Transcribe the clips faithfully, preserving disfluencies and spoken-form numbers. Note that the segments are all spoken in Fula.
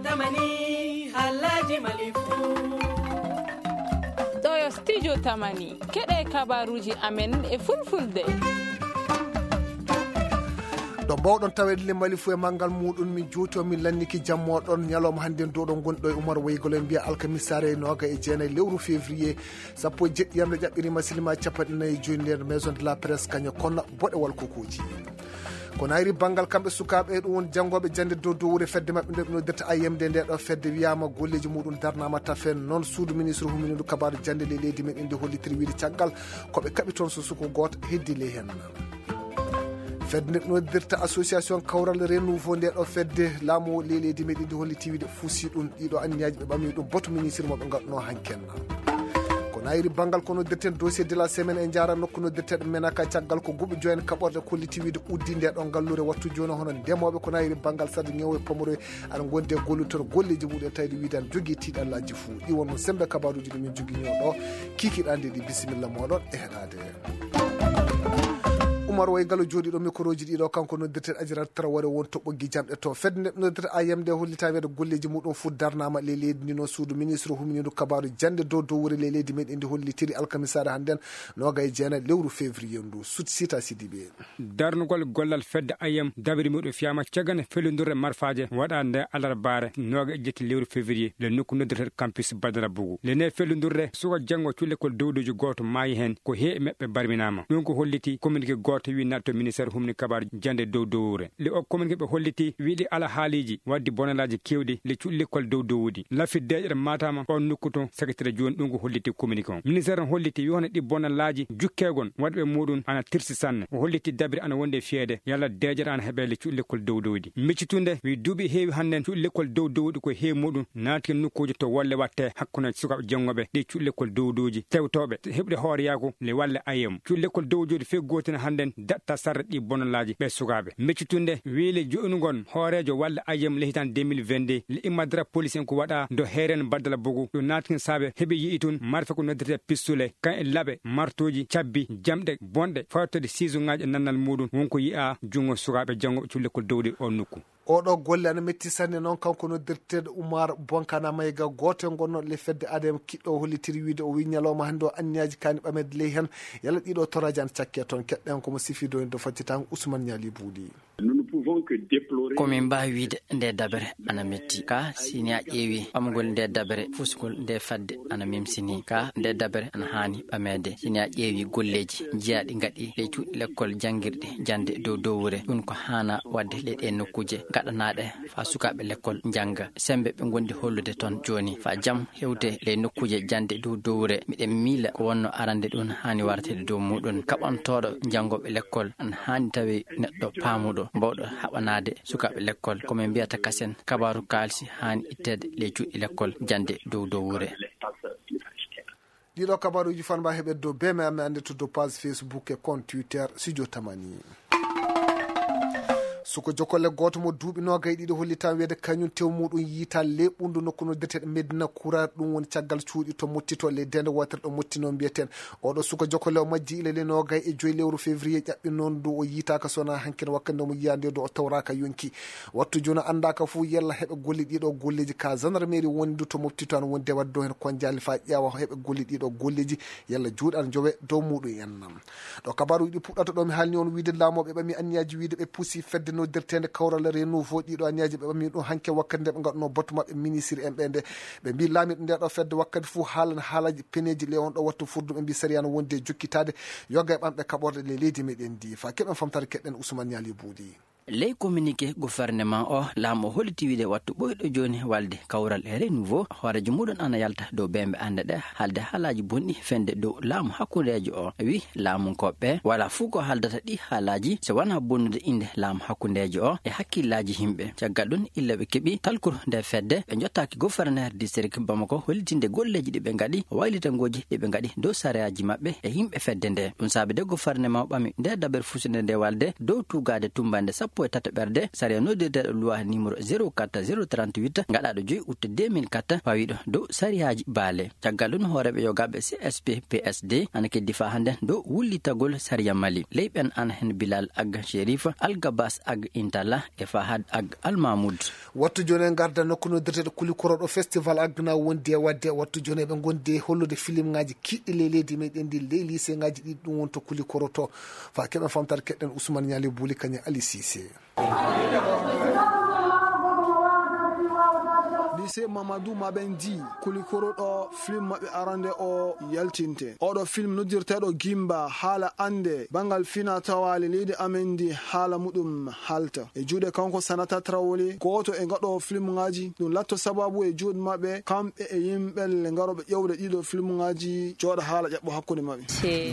Tamani, halaji malifu. Ɗo yo studio Tamani. Keɗe kabaruji amen e fulfulde. Ɗo mbawɗon taweede le malifu e manngal muɗum, min juuti on, min lanniki jammo ɗon. Ñalawma hannde nduɗo ngonɗo e Umar Waygol en mbiya alkamisaare e nooga e jeenayi lewru février, sappo e jeɗɗi yamre ƴaɓɓirima silima capanɗe nayi e joyi nder Maison de la Presse, kaño kono boɗewal kokoji. Ko nayri banngal kamɓe sukaaɓe, ɗum woni janngooɓe jannde dow dowre fedde maɓɓe nde ɓe noddirta A M D, nde ɗo fedde wiyaama golleeji muɗum darnaama tafen. Noon suudu ministre humindu kabaaru jannde ley leydi men indi hollitiri wiide caggal ko ɓe kaɓi toon so suko gooto heddi ley heen. Fedde nde ɓe noddirta association kawral renouveau, nde ɗo fedde laamu ley leydi men indi holliti wiide fusi ɗum ɗiɗo anniyaji ɓe ɓami ɗum boto ministre mo ɓe ngatno hanken. Ko nayri banngal ko noddirten dossier de la semaine, e jaara nokku noddirteɗo menaka caggal ko guɓe joyen kaɓorde kolliti wiide uddi nde ɗo ngallure wattu jooni, hono ndemooɓe ko nayri banngal saɗa ñewo e pomoroye aɗa ngondi e gollutor golleji muɗum e tawde wiide aɗa jogii tiiɗallaaji fuu. Ɗi wonno sembe kabaruji ɗi min jogii ñoo ɗo kikiɗande ɗi. Bisimilla moɗon e heɗade. Umar Way Galo jooɗiiɗo mikroji ɗiɗo, kanko noddirteɗo Ajirat Traoré won to ɓoggi jamɗe to. Fedde nde noddirta A M D hollita wiide golleji muɗum fuu darnaama ley leydi ndi, no suudu ministre humindu kabaru jannde dow dowre ley leydi men indi hollitiri alkamisaare hannden nooga e jeenayi lewru février ndu. Sut Sita Sidibe. Darnugol gollal fedde A M dabiri muɗum fiyama cagane fellundurre marfaje waɗa nde alarbaare nooga e jetti lewru février le nokku noddirteɗo campus Badara Bougou. Le ne fellundurre suka janngo cullekol dowdoji gooto maayi heen, ko he e maɓɓe barminaama. Ɗum ko holliti communiqué gooto wi natto ministère humni kabaar jannde dow dowre. Le o communiqué ɓe holliti wiɗi ala haaliji waddi bonalaaji kewɗi le cullekol dow dowdi. Lafi deeƴere matama on nokku to secrétaire jooni, ɗum ko holliti communiqué on. Ministère on holliti wi hono ɗi bonalaaji jukkeegon waɗɓe muɗum ana tirsi sanne. O holliti dabiri ana wonde fiyeede yalla deeƴere ana heɓe le cuɗi lekkol dow dowdi. Miccitunde wi duuɓi heewi hannden cuɗi lekkol dow dowdi ko heewi muɗum naati nokkuuji to wolle watte hakkunde sukaaɓe janngoɓe ɗi cuɗi lekkol dow dowji tewtooɓe heɓude hooreyaaku le walle A M. Cuɗi lekkol dow dowdi fee gootina hannden daɗta sarde ɗi bonalaaji ɓe sukaaɓe. Miccitunde wi le jo'inu ngon hooreejo walle A M le hitan deux mille vingt-deux le immadara police en ko waɗa do heeren baddala bogu ɗo naatkin saabe heɓi yi'i tun marfe ko noddirte pistule kan e laɓe martuuji cabbi jamɗe bonɗe fawtode siiso ŋaaji e nannal muɗum wonko yi'a junngo sukaaɓe janngoɓe culle ko dowde o nokku. Oɗo golle ana metti sanne noon kanko noddirteeɗo Umar Bonkana Mayga gooto e ngonno le fedde A D M kiɗɗo o hollitiri wiide o wi ñalawma hannde o anniyaji kani ɓamede ley heen yalla ɗiɗo toraji ana cakke toon. Keɗɗen komo sifi doyde faccitaango Ousmane Ñaali Buuɗi. Nous ne pouvons que déplorer. Ko min mbaawi wiyde nde dabere ana metti ka sini a ƴeewi ɓamgol nde dabere fusgol nde fadde ana memsini ka nde dabere ana haani ɓameede sini a ƴeewi golleeji jeyaaɗi ngaɗi ley cuuɗi lekkol janngirɗi jannde dow dowre ɗum ko haana waɗde ley ɗe nokkuuje gaɗanaaɗe faa sukaaɓe lekkol njannga semmbe ɓe ngondi hollude toon jooni faa jam hewte ley nokkuuje jannde dow dowre miɗen miila ko wonno arande ɗum haani wartede dow muɗum kaɓantooɗo janngooɓe lekkol ana haani tawi neɗɗo paamuɗo mbawɗo haɓanaade sukaaɓe lekkol ko min mbiyata kasen kabaaru kaalisi haani itteede ley cuuɗi lekkol jannde dow dowre. Ɗiɗo kabaruuji fan mba heɓe dow beme amme annde to dow page Facebook e compte Twitter Studio Tamani. Suko jokolle gooto mo duuɓi noogay ɗiɗo hollitan weede kañum tew muɗum yiita le ɓundu nokku no deteɗe Medina Kura ɗum woni caggal cuuɗi to mottito le dende wotere ɗo mottino mbiyeten. Oɗo suka jokolle o majji ila le noogay e joyi lewru février ƴaɓɓi noon du o yiitaka sona hankin wakkande mo yiyande do o tawraka yonki. Wattu joni anndaka fof yalla heɓe golle ɗiɗo golleji ka gendarmerie woni du to moftito an wonde wadde do hen konjali fa ƴeewa heɓe golle ɗiɗo golleji yalla juuɗe an jowe dow muɗum en nam. Ɗo kabaruji ɗi puɗɗata ɗo mi haalni on wiide laamoɓe ɓami anniyaji wiide ɓe puusi fedde noddirtende kawral renouveau ɗiɗo anniyaji ɓe ɓami ɗum hanke wakkati nde ɓe gaɗno batu maɓɓe ministre en ɓe nde ɓe mbi laamiɗo nde ɗo fedde wakkati fof haalana haalaji peneji le on ɗo wattu furdu ɓe mbi sariya no wonde jokkitade yoga e ɓamɓe kaɓorde le leydi meɗen ndi fa keɓen famtare keɗen Ousmane Ñaali Buuɗi. Ley communiqué gouvernement o laamu o holliti wiide wattu ɓoyɗo jooni walde kawral e renouveau hoorejo muɗum ana yalta dow bembe annde ɗe haalde haalaaji bonɗi fende dow laamu hakkundeejo o wi laamunkooɓe wala fuu ko haaldata ɗi haalaaji so wona bonnude innde laamu hakkundeejo o e hakkillaaji yimɓe caggal ɗum illa ɓe keɓi talkuru nde fedde ɓe jottaaki gouverneur district bamako hollitinde golleeji ɗi ɓe ngaɗi waylitangooji ɗi ɓe ngaɗi dow sariyaaji maɓɓe e yimɓe fedde nde ɗum saabi de gouverneur maw ɓami nde daɓere fusunde nde walde dow tuugaade tummbannde sappo sappo e tataɓerde sariya noddirteeɗo loi numéro zéro quatre zéro trente-huit, gaɗaaɗo joyi août deux mille quatre, fawiiɗo dow sariyaaji baale. Caggal ɗum, hooreeɓe yogaaɓe C S P P S D ana keddi faa hannde dow wullitagol sariya Mali. Ley ɓen ana heen Bilal Ag Sherif, Algabas Ag Intala e Fahad Ag Almamud. Wattu jooni en ngarda nokku noddirteeɗo Kulikoro ɗo festival Agna wondi e waɗde. Wattu jooni eɓe ngondi e hollude filimŋaaji kiiɗɗi ley leydi meɗen ndi, ley liseŋaaji ɗiɗi ɗum woni to Kulikoro to. Faa keɓen famtaade keɗɗen Ousmane Ñaali Buli kañum Ali Cissé. Lycée Mamadou Mabendi, Kulikoro ɗo film maɓɓe arande o yaltinte. Oɗo film noddirteeɗo Gimba, haala ande banngal fina tawaale leydi amen ndi, haala muɗum halta. E juuɗe kanko Sanata Traoré, gooto e ngaɗoowo filmŋaaji, ɗum latto sababu e juuɗe maɓɓe, kamɓe e yimɓe le ngarooɓe ƴeewde ɗiɗo filmŋaaji, jooɗa haala ƴaɓɓo hakkunde maɓɓe.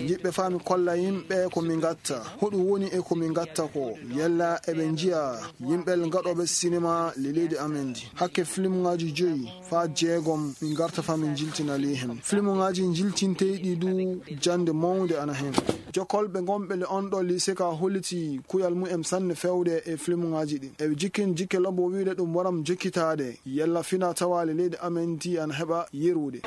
Jiɗɓe faa mi kolla yimɓe ko mi ngatta, hoɗum woni e ko mi ngatta ko, yalla eɓe njiya yimɓe le ngaɗooɓe sinema le leydi amen ndi. Hakke filmŋaaji joyi faa jeegom, min ngarta faa min njiltina ley heen. Filmuŋaaji njiltinteyɗi du jannde mawnde ana heen. Jokolɓe ngonɓe le on ɗo lycée ka holliti kuyal mumen sanne fewde e filmuŋaaji ɗin. Eɓe jikkini jikke lobbo wiide ɗum waram jokkitaade yalla fina tawaale leydi amen ndi ana heɓa yerude.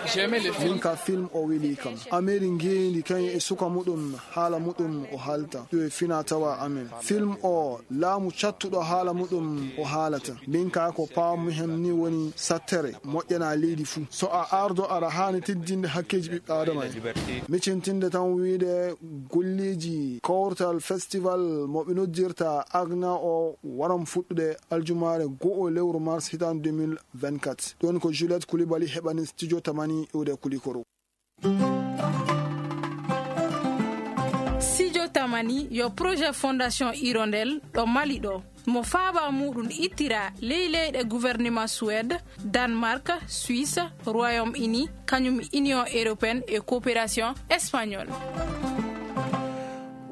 Min ka film o weli kam. Ameri ngeendi kañum e suka muɗum, haala muɗum o halta. Ɗum e fina tawa amen. Film o laamu cattuɗo haala muɗum o haalata. Min ka ko paamu hem ni woni sattere moƴƴana leydi fuu. So a ardo aɗa haani teddinde hakkeeji ɓiɓɓe Aadama en. Micintinde tan wiide golleeji kawtal festival mo ɓe noddirta Agna o waram fuɗɗude aljumaare go'o lewru mars hitaande deux mille vingt-quatre. Ɗon ko Juliette Koulibaly heɓani studio Tamani iwde Kulikoro. Studio Tamani yo projet Fondation Hirondelle ɗo Mali ɗo. Mo faaba muɗum ittira ley leyɗe gouvernement Suède, Danemark, Suisse, Royaume-Uni, kañum Union Européenne e Coopération Espagnole.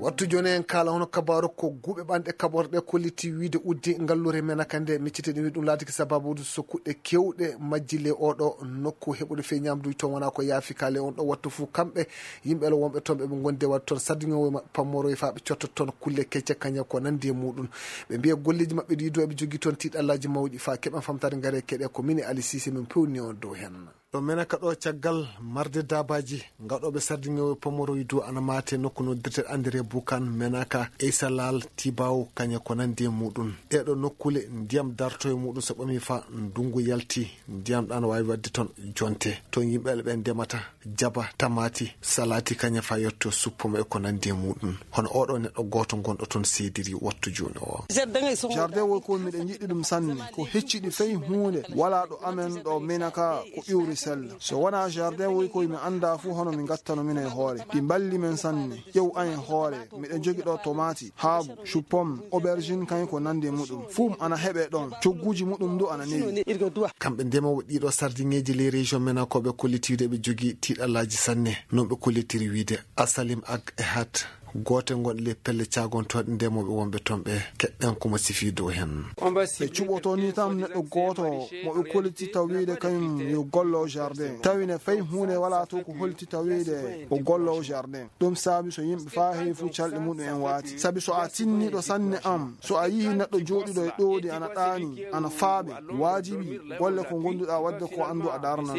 Wattu jooni en kaala hono kabaaru ko guuɓe ɓanɗe kaɓorɗe kolliti wiide uddi ngalluure Menaka nde miccitee ɗum wi ɗum laatiki sababude so kuɗɗe keewɗe majji le oɗo nokku heɓude fee ñamduuji toon wonaa ko yaafi kaale on ɗo wattu fuu kamɓe yimɓe lo wonɓe toon ɓe ɓe ngondi e waɗde toon sardiŋoowo maɓɓe pammoroye faa ɓe cotta toon kulle kecce kañe ko nandi e muɗum. Ɓe mbiya golleeji maɓɓe ɗi du eɓe jogii toon tiiɗallaaji mawɗi faa keɓen famtaade ngare keɗe ko mini Ali Cissé min pewni on dow heen. Ɗo Menaka ɗo caggal marde daabaaji gaɗooɓe sardiŋeewo pomoroy du ana maate nokku noddirte André Bukan, Menaka, Eysalal, Tibaw, kañe ko nandi e muɗum. Ɗeeɗo nokkule ndiyam darto e muɗum so ɓami fa ndunngu yalti, ndiyam ɗan waawi waɗde toon jonte. Toon yimɓe ɓe ndemata jaba, tamaati, salaati, kañe fa yetto suppome e ko nandi e muɗum. Hono oɗo neɗɗo gooto gonɗo toon seediri wattu jooni o. Jardin woy ko miɗen yiɗi ɗum sanne. Ko hecciɗi fey huunde walaa ɗo amen ɗo Menaka ko iwri sella. So wonaa jardin woy koy mi anndaa fuu hono mi ngattano minen e hoore. Ɗi mballi men sanne. Ƴew an e hoore. Miɗen jogi ɗo tomaati, haabu, chou-pomme, aubergine kañum ko nandi e muɗum. Fum ana heɓe ɗon. Cogguuji muɗum du ana newi. Kamɓe ndemoowo ɗiɗo sardiŋeeji ley région Menaka ɓe kollitiiɗo ɓe jogii tiiɗallaaji sanne. Non ɓe kollitiri wiide Asalim Ag Ehat. Goote ngon ley pelle caagontooɗe ndemooɓe wonɓe toon ɓe keɗɗen ko mo sifii dow heen. Ɓe cuɓoto ni tan neɗɗo gooto mo ɓe koliti tawiide kañum yo gollo jardin. Tawi ne fay huunde walaa to ko holti tawiide o gollo jardin. Ɗum saabi so yimɓe faa heewi fuu calɗi muɗum en waati. Sabi so a tinniiɗo sanne am, so a yii neɗɗo jooɗiɗo e ɗoodi ana ɗaani, ana faaɓe, waajibi, golle ko ngonduɗaa waɗde ko anndu a darnan.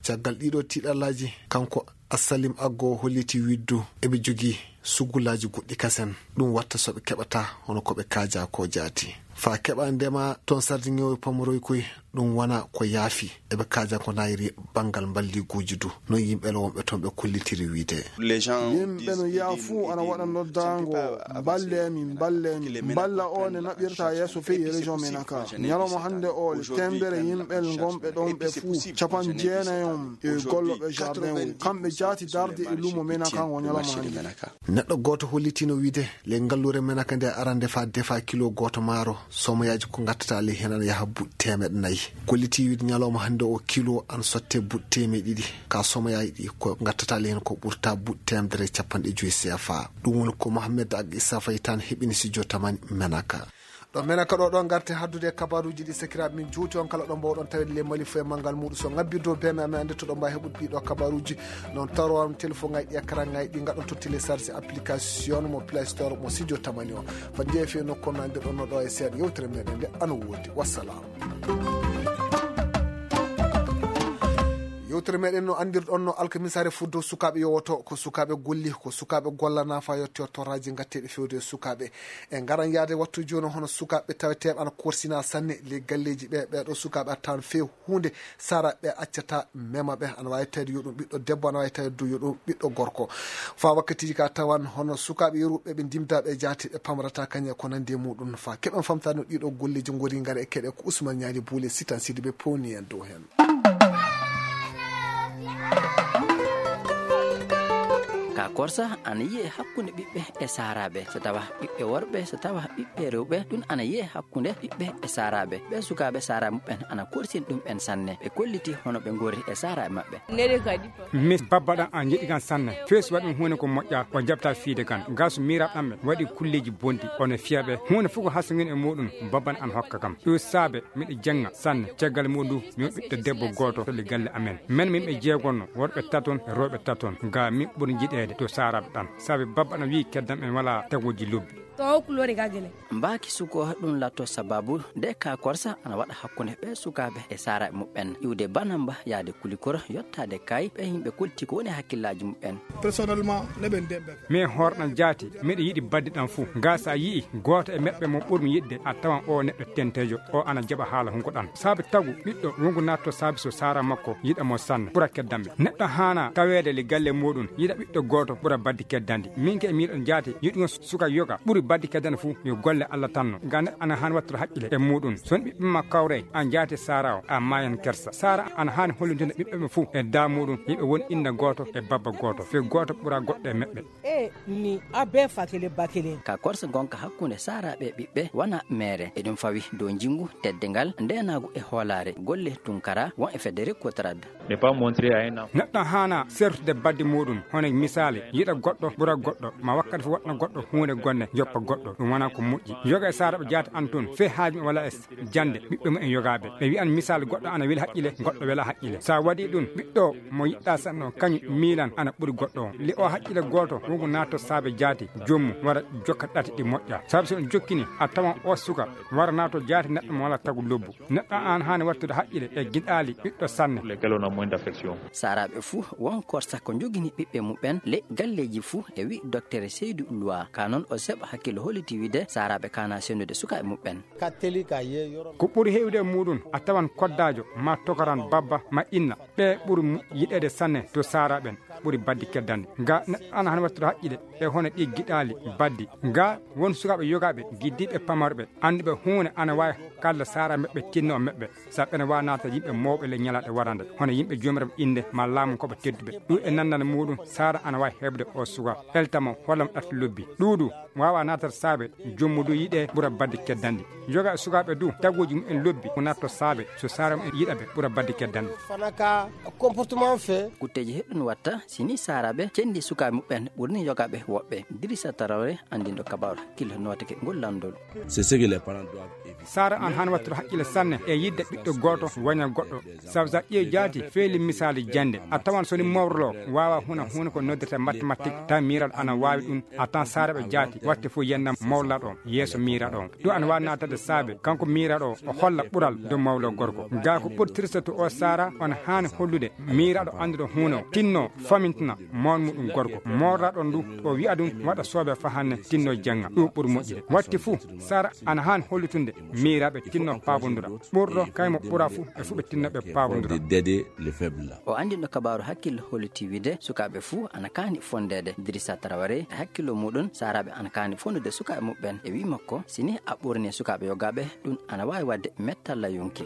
Caggal ɗiɗo tiiɗallaaji, kanko Assalim Aggo holliti widdu eɓe jogii sugulaaji goɗɗi kasen. Ɗum watta so ɓe keɓata hono ko ɓe kaajaa ko jaati. Faa keɓa ndema toon sardiŋeewo e pamoroy koy, ɗum wona ko yaafi. Eɓe kaajaa ko naayri banngal mballiguuji du. Noon yimɓe le wonɓe toon ɓe kollitiri wiide. Yimɓe no yaa fuu ana waɗa noddaango, "Mballee mi, mballee mi." Mballa o ne naɓirta yeeso fey e région Menaka. Ñalawma hannde o le, teemedere yimɓe ngonɓe ɗoon ɓe fuu, capanɗe jeenayi on e golloɓe jardin o. Kamɓe jaati darde e lumo Menaka ngo ñalawma hannde. Neɗɗo gooto hollitino wiide, le ngalluure Menaka nde arande faa defa kilo gooto maaro, Somoyaaji ko ngattata ley heen ana yaha buuɗi teemeɗɗe nayi. Kolliti wiide ñalawma hannde o kilo ana sotte buuɗi teemeɗɗe ɗiɗi. Ka somoyaaji ɗi ko ngattata ley heen ko ɓurta buuɗi teemedere e capanɗe joyi C F A. Ɗum woni ko Mohamed Ag Issa Faye tan heɓini si jotamani Menaka. Ɗo Menaka ɗo, ɗo ngarte haddude e kabaruuji ɗi, sakiraaɓe min juuti on kala ɗo mbawɗon tawede ley Mali fof e manngal muuɗum. So ngabbirde o bee men, amin annde to ɗo mbaawi heɓude ɗiɗo kabaruuji. Noon tawro on téléphone ngaji ɗi, écran ngaji ɗi, ngaɗon to télécharge application mo Play Store mo Studio Tamani o. Fat njeeya fii nokku on no anndirɗon no ɗo e seeɗa yewtere meɗen nde ana woodi. Wassalam. Yewtere meɗen no anndirɗon no alkamisaare fuddo sukaaɓe yowoto, ko sukaaɓe golli, ko sukaaɓe golla nafa yotti o torraji ngatteɗi fewde e sukaaɓe. E ngaran yaade wattu jooni hono sukaaɓe taweteeɓe ana korsina sanne ley galleeji ɓe, ɓeɗo sukaaɓe a tawan few huunde saraɓe accata mema ɓe, ana waawi tawde yo ɗum ɓiɗɗo debbo, ana waawi tawde du yo ɗum ɓiɗɗo gorko. Fa wakkatiji ka tawan hono sukaaɓe yoruɓe ɓe ndimda ɓe jaati ɓe pamrata kañe ko nandi e muɗum. Fa keɓen famtano ɗiɗo golleji ngori ngara e keɗe ko Ousmane Ñaali Buule Sitan Sidi ɓe powni en dow hen. Ka korsa ana yiye hakkunde ɓiɓɓe e saaraaɓe, so tawa ɓiɓɓe worɓe, so tawa ɓiɓɓe rewɓe, ɗum ana yiye hakkunde ɓiɓɓe e saaraaɓe. Ɓe sukaaɓe saaraaɓe muɓɓen ana korsin ɗum en sanne. Ɓe kolliti hono ɓe ngori e saaraaɓe maɓɓe. Mis babba ɗan a jeɗi kan sanne. Fes waɗi ɗum huunde ko moƴƴa o jaɓta fiide kan. Gasu miiraɓe ɗan ɓe waɗi kulleji bonɗi, ono fiya ɓe huunde fof ko hasugin e muɗum. Babban an hokka kam ɗo saabe miɗo jenga sanne. Caggal muɗum mi ɓiɗɗo debbo gooto to le galle amen. Men min ɓe jeegonno worɓe taton e rewɓe taton. Ga min ɓuri jiɗeede to saaraɓe ɗan saabe babba ɗan wi'i keddam en wala tagoji lobbi. To o kulore ga gele. Mbaaki suko ɗum latto sababu nde ka korsa ana waɗa hakkunde ɓe sukaaɓe e saaraaɓe muɓɓen. Iwde banamba yaade kulikoro yottaade kay ɓe yimɓe kolti ko woni hakkillaaji muɓɓen. Personnellement neɓen demɓe. Min hoorɗan jaati miɗo yiɗi baddi ɗan fuu. Ga sa yi'i gooto e meɓɓe mo ɓurmi yiɗde a tawan o neɗɗo tentejo o ana jaɓa haala hunko ɗan saabe tagu ɓiɗɗo wongu natto saabe so saara makko yiɗa mo sanne ɓura keddamɓe. Neɗɗo haana taweede le galle muɗum yiɗa ɓiɗɗo gooto ɓura baddi keddandi. Min ke miɗon jaati yiɗugo suka yoga ɓuri baddi keddandi fuu yo golle Allah tanno. Ga neɗɗo ana haani wattude haqqile e muɗum. Son ɓiɓɓe ma kawre a jaati saara o a maayan kersa. Saara ana haani hollude ɓiɓɓe ɓe fuu e da muɗum yiɓe won inna gooto e babba gooto fe gooto ɓura goɗɗo e meɓɓe. E ni a be fakele bakele. Ka korsa gonka hakkunde saaraaɓe e ɓiɓɓe wana meere e ɗum fawi dow njingu teddengal ndenaagu e hoolaare golle tunkara won e federe kotrad. Neɗɗo haana sertude baddi muɗum hono misaali yiɗa goɗɗo ɓura goɗɗo ma wakkati fof waɗna goɗɗo huunde gonde joppa goɗɗo ɗum wona ko moƴƴi. Yoga e saaraaɓe jaati an tun fee haaju wala e jannde ɓiɓɓe mumen yogaaɓe ɓe wi'an misaali goɗɗo ana weli haqqile goɗɗo wela haqqile. So a waɗii ɗum ɓiɗɗo mo yiɗɗaa sanne o kañum miilan ana ɓuri goɗɗo on. Li o haqqile gooto wongo naatto saabe jaati joomum wara jokka ɗate ɗi moƴƴa. Sabu so ɗum jokkini a tawan o suka wara naatto jaati neɗɗo mo wala tagu lobbu. Neɗɗo an haani wattude haqqile e giɗaali ɓiɗɗo sanne. Saaraaɓe fuu won korsa ko njogini ɓiɓɓe muɓɓen ley galleeji fuu e wi doktere Seydu Luwa ka noon o seɓa hakkillo holliti wiide saaraaɓe kaana senndude sukaaɓe muɓɓen. Ko ɓuri heewde e muuɗum a tawan koddaajo maa tokaran babba maa inna ɓee ɓuri yiɗeede sanne to saaraaɓen ɓuri baddi keddande. Ga neɗɗo ana hano wattude haqqile e hono ɗii giɗaali baddi. Ga won sukaaɓe yogaaɓe giddiiɓe pamarɓe annduɓe huunde ana waawi kalla saaraaɓe maɓɓe tinno maɓɓe. Sabu ɓe na waawi naatde yimɓe mawɓe ley ñalaaɗe warande hono yimɓe joomiraaɓe innde maa laamu koɓe tedduɓe. Ɗum e nanndal muuɗum saara ana waawi heɓde o suka elta mo holla mo ɗatte lobbi. Ɗuuɗu waawa naatde saabe joom mum du yiɗee ɓura badde keddanɗi. Yoga e sukaaɓe du taguuji mumen lobbi ko naatto saabe so saara mumen yiɗa ɓe ɓura badde keddanɗi. Kutteeji heɗɗun watta si ni saaraaɓe cenndi sukaaɓe muɓɓen ɓurni yogaaɓe woɓɓe. Dirisa Tarawre anndinɗo kabaaru hakkille nootake ngol lanndol. Saara an han wattude haqqille sanne e yidde ɓiɗɗo gooto waña goɗɗo. Sabu sa ƴeewi jaati feeli misaali jannde a tawan so ni mawrlo waawa huna huuna ko noddirta mathématique tawi miiraɗo ana waawi ɗum. A tan saaraɓe jaati watte fof yennam mawrlaɗo on yeeso miiraɗo on. Ɗum ana waawi naatade saabe kanko miiraɗo o o holla ɓural dow mawlo gorko. Gaa ko ɓurtirta to o saara on haani hollude miiraɗo annduɗo huuna o tinno famintina mawn muɗum gorko mawrlaɗo on ndu o wi'a ɗum waɗa soobe fahanne tinno jannga ɗum ɓuri moƴƴude. Watte fof saara ana haani hollutunde miiraɓe tinno paabondura ɓurɗo kaymo ɓura fof e fof ɓe tinno ɓe paabondura. O anndinɗo kabaaru hakkille holliti wiide sukaaɓe fuu ana kaani fonndeede. Dirisa Tarawre e hakkillo muuɗum saaraaɓe ana kaani fonndude sukaaɓe muɓɓen e wii makko si ni a ɓurni sukaaɓe yogaaɓe ɗum ana waawi waɗde mettalla yonki.